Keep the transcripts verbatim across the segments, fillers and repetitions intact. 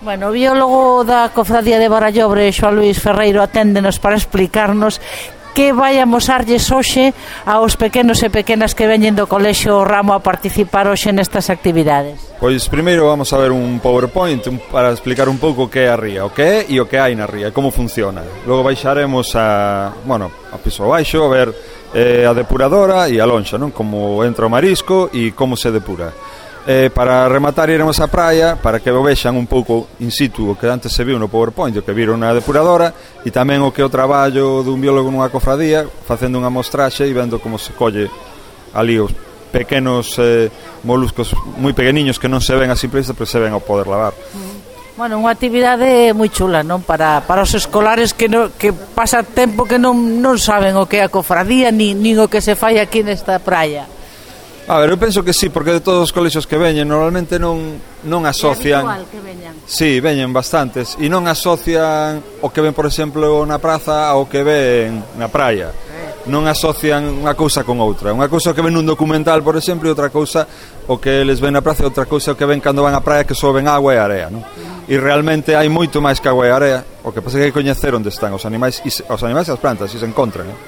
Bueno, o biólogo da Cofradía de Barallobre, Xoán Luís Ferreiro, aténdenos para explicarnos que vai amosarlles hoxe aos pequenos e pequenas que veñen do Colexio Ramo a participar hoxe nestas actividades. Pois primeiro vamos a ver un PowerPoint un, para explicar un pouco o que é a ría, o que é e o que hai na ría, como funciona. Logo baixaremos a, bueno, a piso abaixo a ver eh, a depuradora e a lonxa, non? Como entra o marisco e como se depura. Eh, para rematar iremos á praia para que o vexan un pouco in situ o que antes se viu no PowerPoint, o que viron na depuradora e tamén o que é o traballo dun biólogo nunha cofradía facendo unha mostraxe e vendo como se colle ali os pequenos eh, moluscos moi pequeniños que non se ven a simple vista, pero se ven ao poder lavar. Bueno, unha actividade moi chula, non? Para, para os escolares que, no, que pasa tempo que non, non saben o que é a cofradía ni, nin o que se fai aquí nesta praia. A ver, eu penso que sí, porque de todos os colexios que veñen normalmente non, non asocian. É habitual que veñan. Sí, veñen bastantes e non asocian o que ven, por exemplo, na praza ao que ven na praia. Non asocian unha cousa con outra. Unha cousa que ven nun documental, por exemplo, e outra cousa o que eles ven na praza e outra cousa o que ven cando van á praia, que só ven agua e area, non? E realmente hai moito máis que agua e area. O que pasa é que hai que coñecer onde están os animais e os animais e as plantas, se se encontran, non?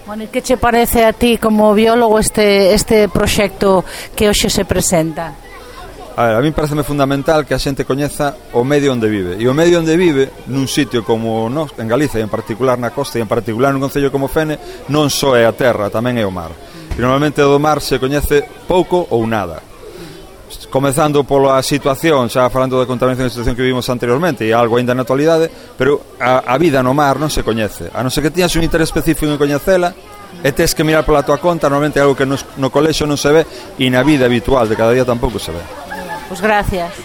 Bueno, e que che parece a ti como biólogo este, este proxecto que hoxe se presenta? A ver, a mí pareceme fundamental que a xente coñeza o medio onde vive. E o medio onde vive, nun sitio como nós, en Galicia, e en particular na costa, e en particular nun concello como Fene, non só é a terra, tamén é o mar. E normalmente do mar se coñece pouco ou nada. Comezando pola situación, xa falando da contaminación da situación que vivimos anteriormente, e algo ainda na actualidade, pero a, a vida no mar non se coñece. A non ser que tiñas un interés específico en coñecela, e tes que mirar pola tua conta, normalmente é algo que no, no colexio non se ve, e na vida habitual de cada día tampouco se ve. Pois gracias.